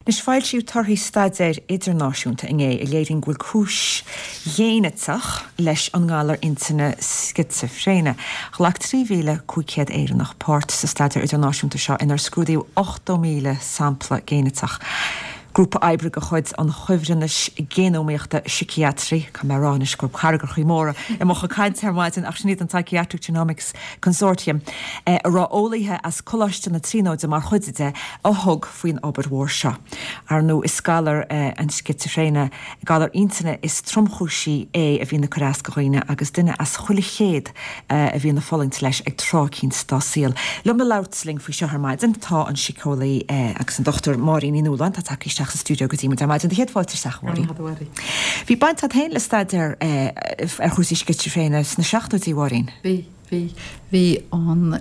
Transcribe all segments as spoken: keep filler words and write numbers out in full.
Anois foilsíodh torthaí staidéir idirnáisiúnta inné a léiríonn go bhfuil cúis ghéiniteach leis an ngalar intinne scitsifréine. Ghlac trí mhíle cúig chéad Éireannach páirt sa staidéar idirnáisiúnta seo inar scrúdaíodh ochtó míle sampla géiniteach. Grúpa oibre de chuid an Chuibhreannais Géanómaíochta Síciatraí, Tá mé rá anois go cargachaí móra i mo chaint ar maidin ach sin iad an Psychiatric Genomics Consortium, a raibh eolaithe as Coláiste na Tríonóide mar chuid de a thug faoin obair mhór seo. Ar ndóigh is galar an scitsifréine galar intinne is tromchúisí é a bhíonn ag cur as do dhaoine agus duine as chuile chéad a bhíonn ag fulaingt leis ag tráth eicínt dá saol. Liom le labhairt linn faoi seo ar maidin tá an síceolaí agus an Dr Máirín Ní Nualláin tá tagtha isteach sa stiúideo go dtí muid ar maidin. Do chéad fáilte isteach Máirín. Bhí baint agat féin le staidéar ar chúrsaí scitsifréine sna seachtóidí Mháirín. Bhí bhí bhí an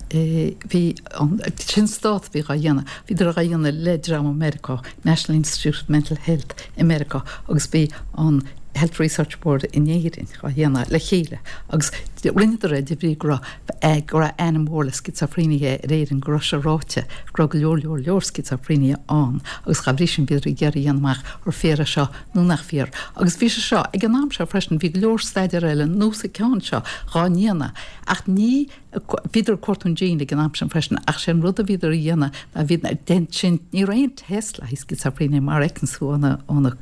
bhí an sin stát bhí á dhéanamh bhíodar á dhéanamh le dream i Meiriceá National Institute of Mental Health i Meiriceá agus bhí an Health Research Board in Éirinn á dhéanamh le chéile agus rinneadar é de bhrí go raibh go raibh ainm mór le scitsifréine ar Éirinn go raibh sé ráite go raibh go leor leor leor scitsifréine ann agus dá bhrí sin bhíodar ag iarraidh a dhéanamh amach ar fíor é seo nó nach fíor. Agus bhí sé seo ag an am seo freisin bhí go leor staidéar eile nós an ceann seo dhá ndéanamh ach ní bhíodar ag cuartú an gene ag an am sin freisin ach sé an rud a bhíodar a dhéanamh ná bhí den sin ní raibh aon test le haghaidh scitsifréine mar a fheiceann tú ann ann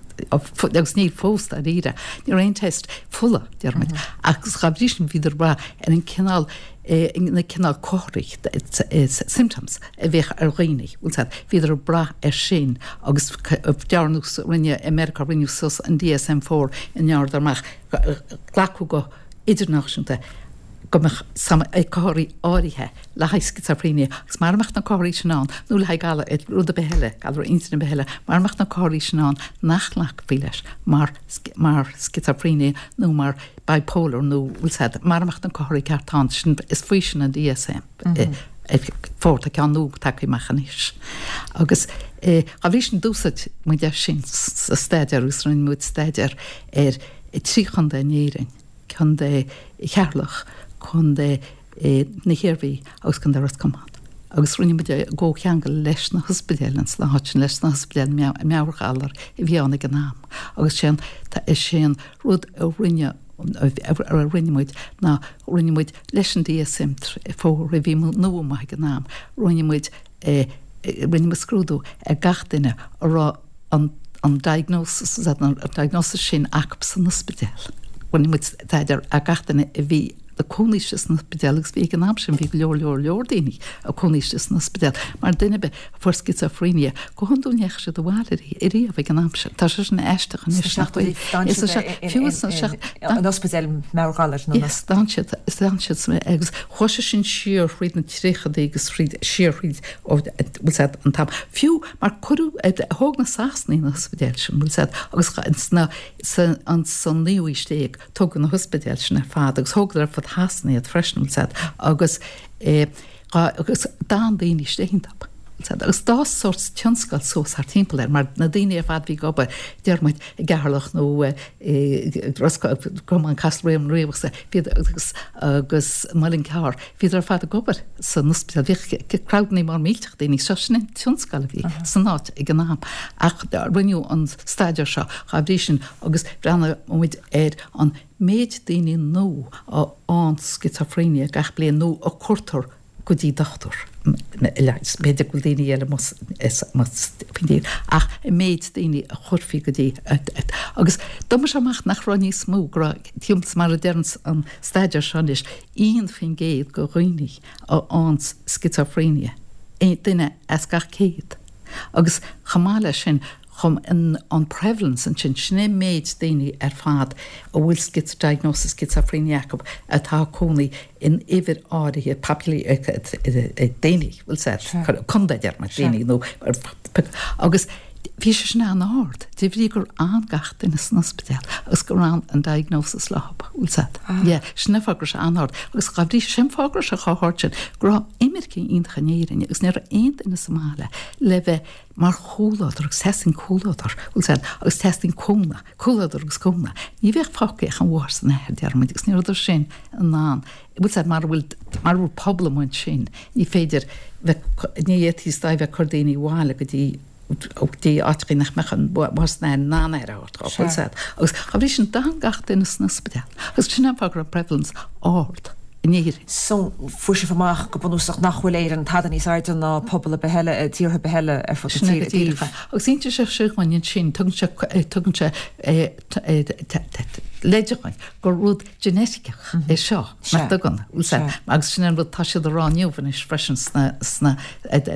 agus níl fós dáiríre ní raibh aon test fola deirmid agus dá bhrí sin bhíodar ag brath ar an cineál na cineál comharthaí symptoms a bheadh ar dhaoine bhíodar ag brath ar sin agus dearnadh rinne America rinneadh suas an DSM four i ndearnadar amach glacadh go idirnáisiúnta go mbeadh comharthaí áirithe le haghaidh scitsifréine agus mar mbeadh na comharthaí sin ann nó le haghaidh galar rud ar bith eile galar intinne ar bith eile mar mbeadh na comharthaí sin ann nach nglacfaí leis mar mar scitsifréine nó mar bipolar nó bhfuil mar mbeadh na comharthaí ceart ann sin is faoi sin an DSM. four tá ceann nua tagtha amach anois. Agus dá bhrí sin d'úsáid muid é sin sa staidéar agus rinne muid staidéar ar trí chontae in Éirinn, Contae Cheatharlach, Contae na hIarmhí agus Contae Ros Comáin. Agus rinne muid é i gcomhcheangal leis na hospidéil sna háit sin leis na hospidéil meabhairghalar a bhí ann ag an am. Agus sé an sé an rud a rinne a rinne muid ná rinne muid leis an DSM four a bhí nua amach ag an am, rinne muid rinne muid scrúdú ar gach duine a raibh an an diagnosis an diagnosis sin acu san ospidéal. Rinne muid staidéar ar gach duine a bhí ag cónaí san ospidéal agus bhí ag an am sin bhí go leor leor leor daoine ag cónaí san ospidéal mar duine be fuair scitsifréine go hiondúil ní dheachaigh siad abhaile riamh ag an am sin. Tá sé sin aisteach anois fiú an ospidéal meabhairghalar Yes, d'fhan siad d'fhan siad agus chuaigh sé sin siar thríd na tríochadaí agus thríd siar thríd bhfuil an t-am. Fiú mar cuireadh thóg na Sasanaigh na hospidéil sin bhfuil agus sna an san naoú haois déag tógadh na hospidéil sin ar fad agus thógadar ar fud Shasana iad freisin bhfuil agus agus d'fhan daoine istigh iontu. Agus d'fhás sórt tionscal suas thart timpeall air mar na daoine ar fad bhí ag obair deir muid i gCeatharlach nó Ros Comáin Castlereagh Riabhach bhíod agus agus Muileann gCearr bhíodar ar fad ag obair san ospidéal bhíodh crowdanna mór millteach daoine seo sin an tionscal a bhí san áit ag an am ach rinneadh an staidéar seo dá bhrí sin agus breathnaigh muid ar an méid daoine nua a fhaigheann scitsifréine gach bliain nó a cuirtear go dtí dochtúir b'fhéidir go bhfuil daoine eile faoin ach an méid daoine a chuirfí go dtí agus d'oibrigh sé amach nach raibh níos mó go raibh mar a deir an staidéar seo anois aon faoin gcéad de dhaoine a fhaigheann scitsifréine duine as gach céad agus chomh maith leis sin chum an, an prevalence ansin sin é méid daoine ar fad a bhfuil schiz diagnosis schizophrenia acu atá cónaí in uimhir áirithe populi daoine bhfuil sé contae deir mar daoine nó agus bhí sé sin an-ard de bhrí gur fhan gach duine san ospidéal agus gur fhan an diagnosis leo bhfuil sé yeah sin fáth go raibh sé an-ard agus dá bhrí sin fáth go raibh sé chomh hard sin go raibh imirce iontach in Éirinn agus ní raibh aon duine sa mbaile le bheith mar chúladar agus teastaíonn cúladar bhfuil sé agus teastaíonn cúnamh cúladar agus cúnamh ní bheadh fágtha ach an mháthair is an athair deir muid agus ní raibh sin in ann bhfuil sé mar bhfuil mar bhfuil pobal sin ní féidir ní fhéadfaí bheith cur daoine abhaile go dtí Ó dtí áiteachaí nach mbeadh an bhás in ann aire a thabhairt dhó, bhfuil 's a'd. Agus dá bhrí sin d'fhan gach duine san ospidéal agus sin an fáth go raibh prevalence ard in Éirinn. So, fuair sibh amach go bunúsach nach bhfuil Éirinn tada níos airde ná pobal ar bith eile, tíortha ar bith eile ar fud na tíre i dtaobh. Agus insíonn sé sin dhúinn ansin, tugann sé, tugann sé leide dhúinn gur rud geneiticeach é seo, nach dtugann, bhfuil 's a'd. Agus sin an rud tá siad a rá inniu anois freisin sna, sna,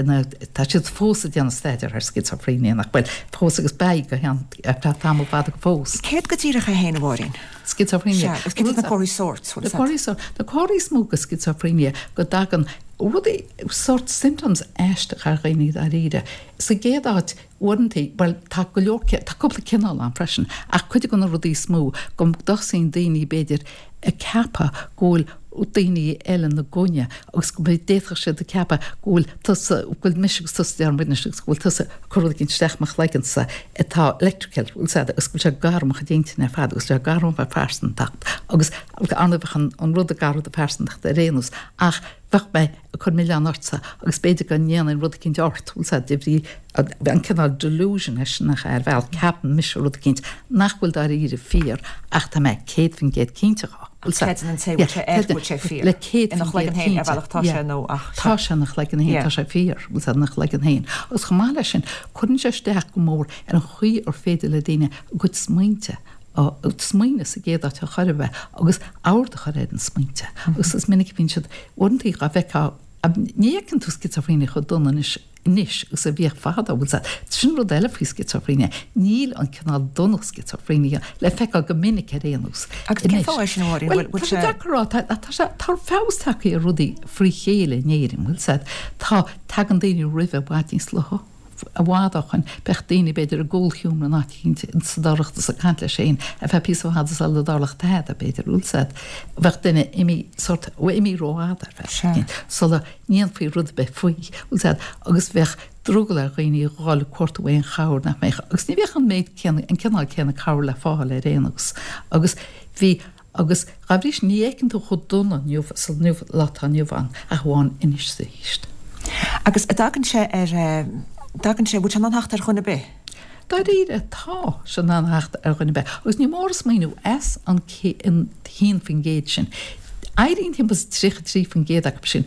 na, tá siad fós ag déanamh staidéar ar schizophrenia, nach bhfuil, fós agus beidh go ceann, ar feadh tamall fada fós. Céard go díreach é féin, a Mháirín? Schizophrenia. Sea, agus céard iad na comharthaí sóirt, bhfuil 's a'd? Na comharthaí sóirt, na comharthaí is mó de schizophrenia go dtagann rudaí, sórt symptoms aisteach ar dhaoine dáiríre. Sa gcéad áit, uaireanta, bhuel, tá go leor, tá cúpla cineál ann freisin, ach cuid de na rudaí is mó, go dtosaíonn daoine, b'fhéidir, ag ceapadh go bhfuil daoine eile ina gcoinne agus go d'fhéadfadh siad a ceapadh go bhfuil tusa, go bhfuil mise agus tusa, déarfaidh muid anois, agus go bhfuil tusa ag cur rud éigin isteach i mo chloigeannsa atá electrical, bhfuil 's a'd, agus go bhfuil sé ag athrú mo chuid intinne ar fad agus go bhfuil sé ag athrú mo phearsantacht agus ar ndóigh bheadh an, an rud ag athrú do phearsantacht ar aon nós ach bheadh mé ag cur milleán ortsa agus b'fhéidir go ndéanfainn rud eicínt ort, bhfuil 's a'd, de bhrí an cineál delusion é sin nach ea, ar bhealach, ceapann mise rud eicínt nach bhfuil dáiríre fíor ach tá mé céad faoin gcéad cinnte dhó, bhfuil 's a'd. Creideann an té bhfuil sé air go bhfuil sé fíor. Le céad Ina faoin chloigeann gcéad féin, ar cinnte, bhealach tá yeah. sé nó ach Tá sé ina chloigeann féin, tá sé fíor, bhfuil 's a'd, ina chloigeann féin. Agus chomh maith leis sin, cuireann sé isteach go mór ar an chaoi ar féidir le daoine a gcuid smaointe a smaoineamh sa gcéad áit ar chor ar bith agus ord a chur ar na smaointe. Agus is minic a bhíonn siad, uaireanta dhá bhfeicfeá, ní fheiceann tú sciosóifréine chomh dona anois anois agus a bhíodh fadó, bhfuil 's a'd. Sin rud eile faoi sciosóifréine, níl an cineál dona sciosóifréine le feiceáil go minic ar aon nós Agus cén fáth é sin, a Mháirín? Bhuel, Bhfuil tá sé sé. deacair a rá, tá, tá sé, tá feabhas tagtha ar rudaí frí chéile in Éirinn, bhfuil 's a'd. Tá, tagann daoine roimhe i bhfad níos luaithe. I bhfad ó shoin, bheadh daoine, b'fhéidir, i gcúlsheomra in áit eicínt sa dorchadas ag caint leis féin ar feadh píosa fada sula dtarlódh tada, b'fhéidir, bhfuil 's a'd. Bheadh duine imithe sórt, imithe rófhada ar feadh eicínt sula ndéanfaí rud ar bith faoi, bhfuil 's a'd, agus bheadh drogall ar dhaoine a dhul ag cuartú aon chabhair nach mbeadh, agus ní bheadh an méid céanna, an cineál céanna cabhair le fáil ar aon nós. Agus bhí. Agus dá bhrí sin, ní fheiceann tú chomh dona inniu sa lá atá inniu ann ach amháin anois is arís. Agus a dtagann sé ar, dtagann sé, bhfuil sé in ann theacht ar dhuine ar bith? Dáiríre, tá sé in ann theacht ar dhuine ar bith. Agus ní mór a smaoineamh, as an haon faoin gcéad sin, éiríonn timpeall is tríocha trí faoin gcéad acu sin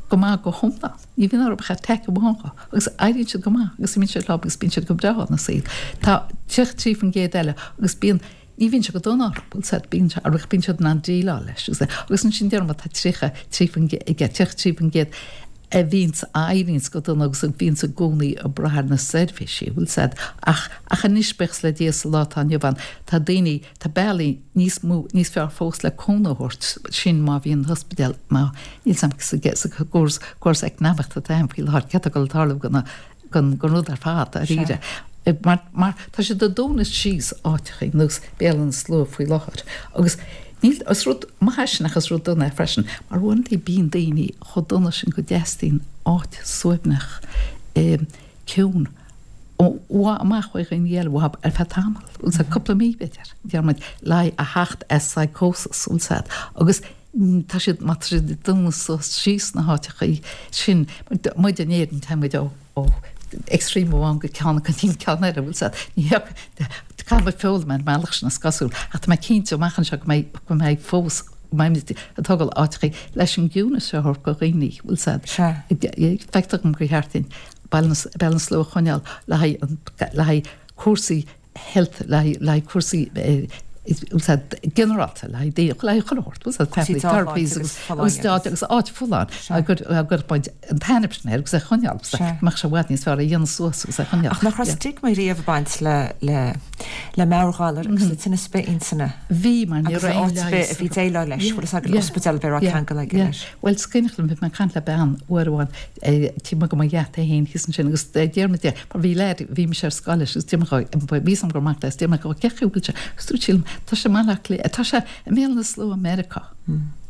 go maith go hiomlán. Ní bhíonn orthu ach attack amháin dhó agus éiríonn siad go maith agus imíonn siad leo agus bíonn siad go breá ina saol. Tá tríocha trí faoin gcéad eile agus bíonn Ní bhíonn sé go dona orthu, bhfuil 's a'd, bíonn sé, ach bíonn siad in ann déileáil leis agus agus ansin déarfaidh muid tá tríocha trí faoin gcéad, tríocha trí faoin gcéad a bhíonns, a éiríonns go dona agus a bhíonns i gcónaí ag brath ar na seirbhísí, bhfuil 's a'd. Ach, ach anois, buíochas le Dia, sa lá atá inniu ann, tá daoine, tá bealaí níos mó, níos fearr fós le cúnamh a thabhairt, sin má bhíonn an t-ospidéal, má, níl 's a'm sa, sa gcóras, córas eacnamaíochta atá ann faoi láthair, céard atá ag dul a tarlú do na, den rud ar fad, dáiríre. Mar, mar tá siad ag dúnadh síos áiteachaí nós Béal Átha na Slua faoi láthair agus níl, is rud maith é sin ach is rud dona é freisin, mar uaireanta bíonn daoine chomh dona sin go dteastaíonn áit suaimhneach, ciúin, amach ó dhaoine eile uathu ar feadh tamaill, bhfuil 's a'd, cúpla mí b'fhéidir, deir muid, le a theacht as psychosis, bhfuil 's a'd, agus tá siad, má tá siad ag dúnadh suas síos na háiteachaí sin, muid in Éirinn, tá muid ó, ó extreme amháin go ceann go dtí an ceann eile, bhfuil 's a'd, ní caithfidh muid foghlaim ar an mbealach sin is cosúil, ach tá mé cinnte amach anseo go mbeidh, go mbeidh fós, go mbeimid ag tógáil áiteachaí leis an gciúnas seo a thabhairt do dhaoine, bhfuil 's a'd. Feictear dom gur cheart dúinn Béal na Slua a choinneáil le haghaidh, le haghaidh cúrsaí health le haghaidh cúrsaí ginearálta le haghaidh daoine, le haghaidh chuile shórt, bhfuil 's a'd, family therapies agus agus áit agus áit folláin gur gur muid an t-ainm sin air agus é a choinneáil agus go mbeadh sé i bhfad níos fearr é a dhéanamh suas agus é a choinneáil. Ach nach raibh stigma riamh ag baint le le le meabhairghalair agus le tinneas ar bith intinne? Bhí mar ní Agus raibh aon áit ar bith leigheas a bhí déileáil leis, bhfuil 's a'd, ospidéal ar bith a raibh ceangal aige leis. Bhuel, is cuimhneach liom, bhí mé ag caint le bean uair amháin, taobh amuigh de mo gheata féin thíos ansin agus d'iarr mé di, mar bhí leaid, bhí mise ar scoil leis agus d'iarr mé dho, bhí 'fhios a'm gur mac léi, d'iarr mé dho cé chaoi bhfuil sé, agus dúirt sí liom, tá sé i mBaile Átha Cliath, tá sé i mBéal na Slua i Meiriceá,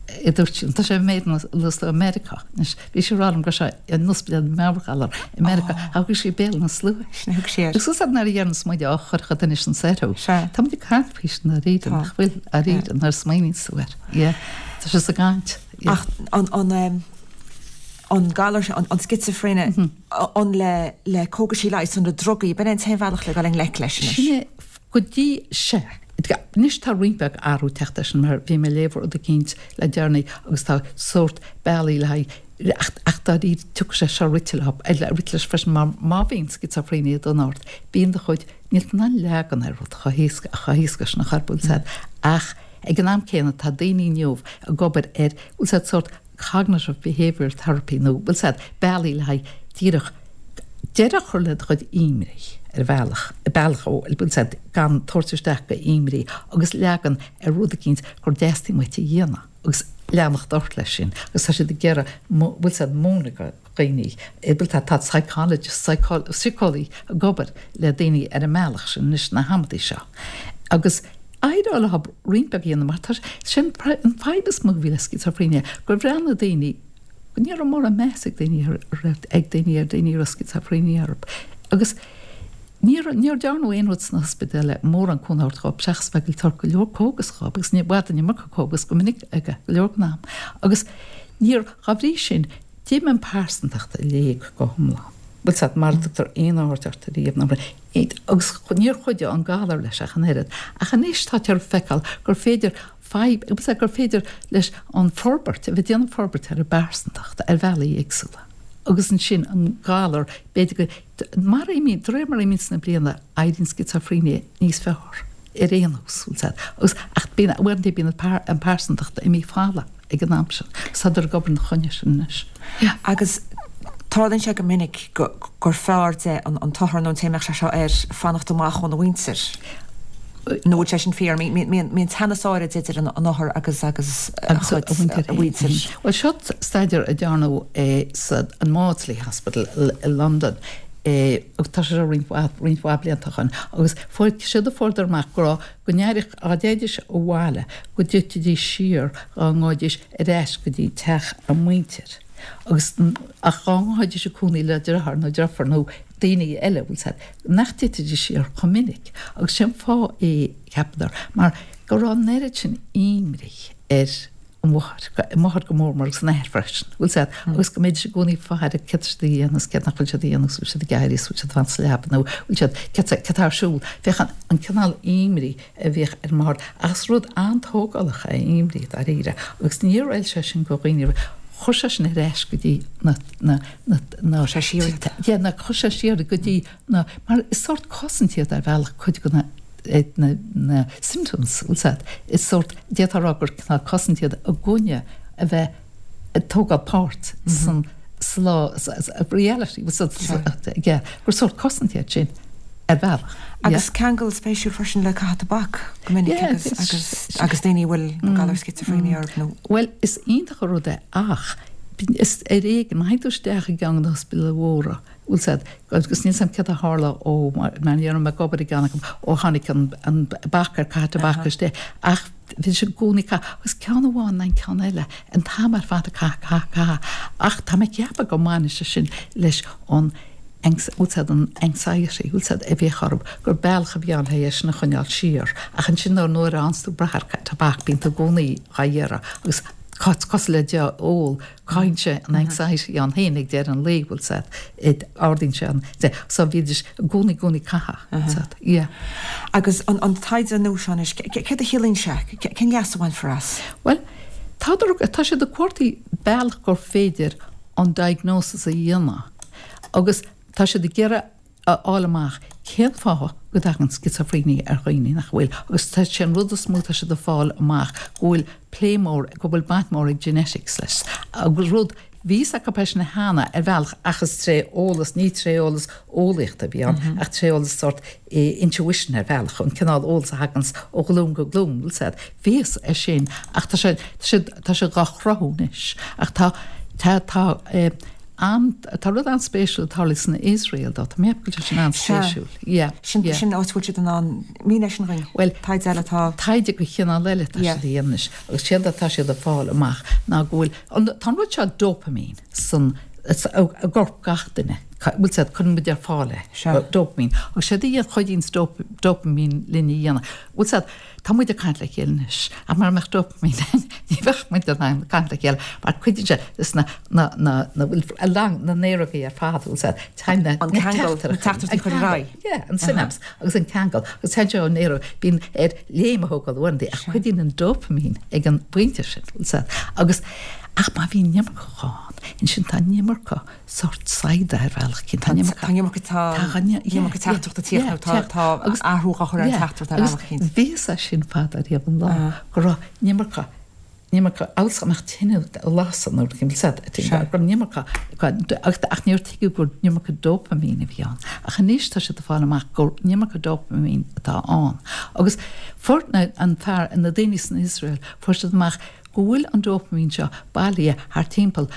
a dúirt sí liom, tá sé i mBéal na Slua i Meiriceá. Anois, bhí sí ag rá liom go raibh sé in ospidéal meabhairghalar i Meiriceá, ach thug sí Béal na Slua. Sin a thug sí air. Agus is nuair a dhéananns muid á chur chun duine sin soir thú. Tá muid ag caint faoi sin dáiríre, nach bhfuil, dáiríre, nuair a smaoiníonns tú air. Yeah. Tá sé sa gcaint. Ach an, an, an galar an, an scitsifréine an le le cógaisí leighis an na drugaí, b'in an t-aon bhealach le dul i ngleic leis anois. Sin é go dtí sé. Anois tá roinnt beag athrú teacht air sin mar bhí mé ag léamh rud eicínt le deireanaí agus tá sórt bealaí le haghaidh ach ach dáiríre tiocfaidh sé seo rite leo rite leis freisin mar má bhíonn scitsifréine ag dul ort bíonn do chuid níl tú in ann leagan ar rud chomh héasca chomh héasca sin a chur bhfuil 'fhios a'd ach ag an am céanna tá daoine inniu ag obair ar bhfuil 'fhios a'd sórt cognitive behavioural therapy nó bhfuil 'fhios a'd bealaí le haghaidh díreach deireadh a chur le do chuid imní ar bhealach bealach ó bhfuil 'fhios a'd gan tabhairt isteach go imní agus leagan ar rud eicínt gur dteastaíonn uait a dhéanamh agus leanacht ort leis sin agus tá siad ag iarraidh bhfuil 'fhios a'd múineadh do dhaoine bhfuil tá tá psychologist síceolaí ag obair le daoine ar an mbealach sin anois na hamantaí seo agus éireoidh leo roinnt beag a dhéanamh mar tá sin an fadhb is mó a bhí le scitsifréine gur bhreathnaigh daoine ní raibh mórán meas ag daoine ar ag daoine ar daoine a raibh scitsifréine orthu agus níor níor dearnadh aon rud sna hospidéil le mórán cúnamh a thabhairt dhóibh seachas bheith ag tabhairt go leor cógas dhóibh agus ní bhfad an iomarca cógas go minic ag go leor den am agus níor dá bhrí sin d'imigh an pearsantacht i léig go hiomlán. Bhfuil 's a'd mara dtugtar aon aird ort ariamh nó agus níor chuidigh an galar leis ach an oiread ach anois táthar ag feiceáil gur féidir fadhb bhfuil 's a'd gur féidir leis an forbairt a bheith ag déanamh forbairt ar an bpearsantacht ar bhealaí éagsúla agus ansin an galar b'fhéidir go mar a imíonn de réir mar a imíonn na blianta éiríonn scitsifréine níos fearr ar aon nós bhfuil 's a'd agus ach bíonn uaireanta bíonn an pearsantacht imithe folamh ag an am sin agus tádar ag obair ina choinne sin anois. Yeah. Agus tarlaíonn sé go minic gur fearr de an t-othar nó an té a mbeadh sé seo air fanacht amach óna mhuintir. Nó bhfuil sé sin fíor? Mbíonn teannas áirid idir an othar agus agus a chuid mhuintir. Bhuel seo staidéar a dearnadh sa an Maudsley Hospital i Londain agus tá sé seo roinnt mhaith roinnt mhaith blianta ó shin agus fuair siad a fuaireadar amach go raibh go n-éireodh dá dtéidís abhaile go dtitfidís siar dá ngabhaidís ar ais go dtí teach a muintir agus ach dá ngabhaidís ag cónaí le deartháir nó deirfiúr nó daoine eile bhfuil 's a'd nach dtitfidís siar chomh minic agus sé an fáth é cheapadar mar go raibh an oiread sin imní ar an mháthair an mháthair go mór mór agus an athair freisin bhfuil 's a'd agus go mbeidís i gcónaí ag faire céard tá siad a dhéanamh céard nach bhfuil siad a dhéanamh bhfuil siad ag éirí bhfuil siad ag fanacht sa leaba nó bhfuil siad céard céard atá ar siúl féach an an cineál imní a bhíodh ar an máthair ach is rud an-tógálach é imní dáiríre agus níor fheil sé sin go dhaoine chuir sé sin ar ais go dtí na na na na Chuir sé siar iad. Yeah, na chuir sé siar go dtí na mar is sórt cosaint iad ar bhealach cuid de na na na symptoms bhfuil 's a'd is sórt d'fhéadfá a rá gur cineál cosaint iad i gcoinne a bheith ag tógáil páirt san sa lá reality yeah gur sórt cosaint iad sin ar bhealach. Agus ceangal spéisiúil freisin le caitheamh tobac go minic Yeah, agus agus agus daoine a bhfuil an galar scitsifréine orthu nó. Bhuel is iontach an rud é ach is ar éigean má théann tú isteach i gceann de na hospidéil mhóra bhfuil 's a'd agus níl 's a'm céard a tharla ó mar ní raibh mé ag obair i gceann acu ó tháinig an an bac ar caitheamh tobac isteach ach bhí sé i gcónaí ag caitheamh agus ceann amháin nó an ceann eile an t-am ar fad ag caitheamh caitheamh caitheamh ach tá mé ag ceapadh go mbaineann sé sin leis an bhfuil 's a'd an anxiety bhfuil 's a'd a bhíodh orthu gur bealach a bhí ann le é sin a choinneáil siar ach ansin nuair nuair a fhaigheanns tú brath ar tobac bíonn tú i gcónaí dhá iarraidh agus cosúil le deoch ól cothaíonn sé an anxiety ann féin ag deireadh an lae bhfuil 's a'd ardaíonn sé an so bhídís i gcónaí i gcónaí ag caitheamh bhfuil 's a'd yeah. Agus an an taighde nua seo anois céard a chiallaíonn sé? Cén leas a bhainfear as? Bhuel tá tá siad ag cuartú bealach gur féidir an diagnosis a dhéanamh agus tá siad ag iarraidh a fháil amach cén fáth go dtagann scitsifréine ar dhaoine nach bhfuil agus tá sé an rud is mó tá siad ag fáil amach go bhfuil plé mór go bhfuil baint mór ag genetics leis agus rud bhí 's acu sin cheana ar bhealach ach is tré eolas ní tré eolas eolaíochta a bhí ann ach tré eolas sort intuition ar bhealach an cineál eolas a thaganns ó ghlúin go glúin bhfuil 's a'd bhí fhios é sin ach tá sé tá sé tá sé dhá chruthú anois ach tá tá tá an tá rud an-spéisiúil ag tarlú san Iosrael dó tá mé go bhfuil sé sin an-spéisiúil yeah Sin yeah. sin áit bhfuil siad in ann mínigh é sin dhúinn Well taighde eile atá taighde de chineál eile tá Yeah. siad a dhéanamh anois agus séard atá siad ag fáil amach ná go bhfuil an tá an rud seo dopamine san i gcorp gach duine Bhfuil 's a'd, cuireann muid ar fáil é, dopamine. Agus séard a chuidíonns dopamine linn a dhéanamh. Bhfuil 's a'd, tá muid ag caint le chéile anois, ach mara mbeadh dopamine ann, ní bheadh muid in ann caint le chéile, mar cuidíonn sé leis na, na, na, na, bhfuil, along na néarógaí ar fad, bhfuil 's a'd, téann na, An ceangal, na teachtaireachtaí a chur ar aghaidh. Yeah, an synapse agus an ceangal. Agus téann sé ón néaróg, bíonn air léim a thógáil uaireanta, ach cuidíonn an dopamine ag an bpointe sin, bhfuil 's a'd. Agus, ach má bhíonn an iomarca ann, ansin tá an iomarca sórt saigheada ar bhealach eicínt. Tá an iomarca. Tá an iomarca tá an iomarca teachtaireachta ag tíocht nó tá tá athrú á chur ar an teachtaireacht ar bhealach eicínt. Bhí fhios a'd sin fada riamh an lá go raibh an iomarca an iomarca amhail go mbeadh tine ag lasadh nó rud éigin go raibh an iomarca ach níor tuigeadh gur an iomarca dopamine a bhí ann. Ach anois tá siad ag fáil amach gur an iomarca dopamine atá ann. Agus fuair an fear na daoine san Iosrael fuair siad amach go bhfuil an dopamine seo bailithe thart timpeall,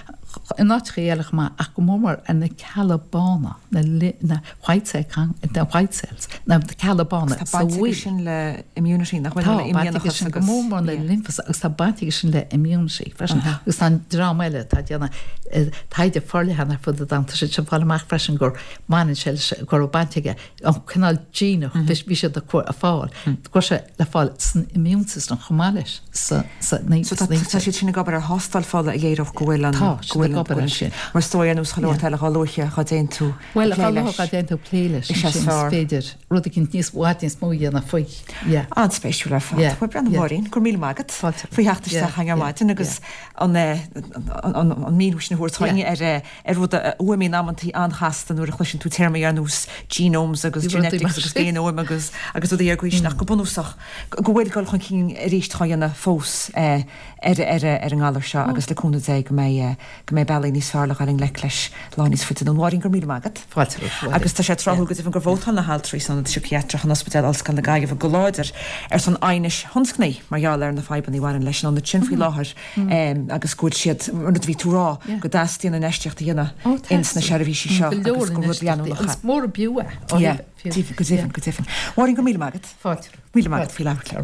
in áiteachaí eile chomh maith, ach go mór mór ar na cealla bána, na na white cell na white cells, na cealla bána sa fhuil. Tá baint aige sin le immunity, nach bhfuil? Tá, Le baint aige imdhíonachas sin go agus mór mór le lymphocytes agus tá baint aige sin le immunity freisin. Agus tá an dream eile atá ag déanamh taighde forleathan ar fud an domhain, tá siad ag fáil amach freisin gur mbaineann sé leis, go raibh baint aige an cineál gene a bhí siad ag fáil, go raibh sé le fáil san immune system chomh maith leis sa So tá tá siad sin ag obair ar thástáil fola a léireodh go bhfuil an Tá go siad bhfuil ag an obair air sin. Mar is dóigh ar nós chuile shórt eile dhá luaithe dhá dtéann tú Bhuel ag plé dhá luaithe leis. dhá dtéann tú ag plé leis Is é ansin is fearr. féidir rud eicínt níos i bhfad níos mó a dhéanamh faoi. Yeah. An-spéisiúil ar fad. Yeah. Bhuel breathnaigh Yeah. Máirín, go raibh míle maith agat Fáilte. faoi theacht Yeah. isteach chugainn ar Yeah. maidin agus an eh, an an an míniú sin a thabhairt Yeah. chugainn ar eh, ar rud a fhuaimníonn amantaí an-chasta nuair a chloiseann tú téarmaí ar nós genomes agus genetics agus géanóim agus agus rudaí ar gcaoi sin ach go bunúsach go bhfuil dul chun cinn arís á dhéanamh fós ar ar ar an ngalar seo agus le cúnamh Dé go mbeidh go mbeidh bealaí níos fearr le dhul i ngleic leis lá níos faide anonn. Máirín, go raibh míle maith agat. Fáilte romhat. Agus tá sé tráthúil go deimhin gur vótáil na haltraí san Ionad Síciatrach in Ospidéal Ollscoile na Gaillimhe go láidir ar son aighnis thionscnaimh mar gheall ar na fadhbanna a bhaineann leis an ionad sin faoi láthair agus go bhfuil siad, mar a bhí tú a rá, go dteastaíonn infheistíocht a dhéanamh ins na seirbhísí seo agus gur rud leanúnach é. Agus mór ab fhiú é. Go deimhin, go deimhin. Máirín, go raibh míle maith agat. Fáilte. Míle maith agat faoi labhairt.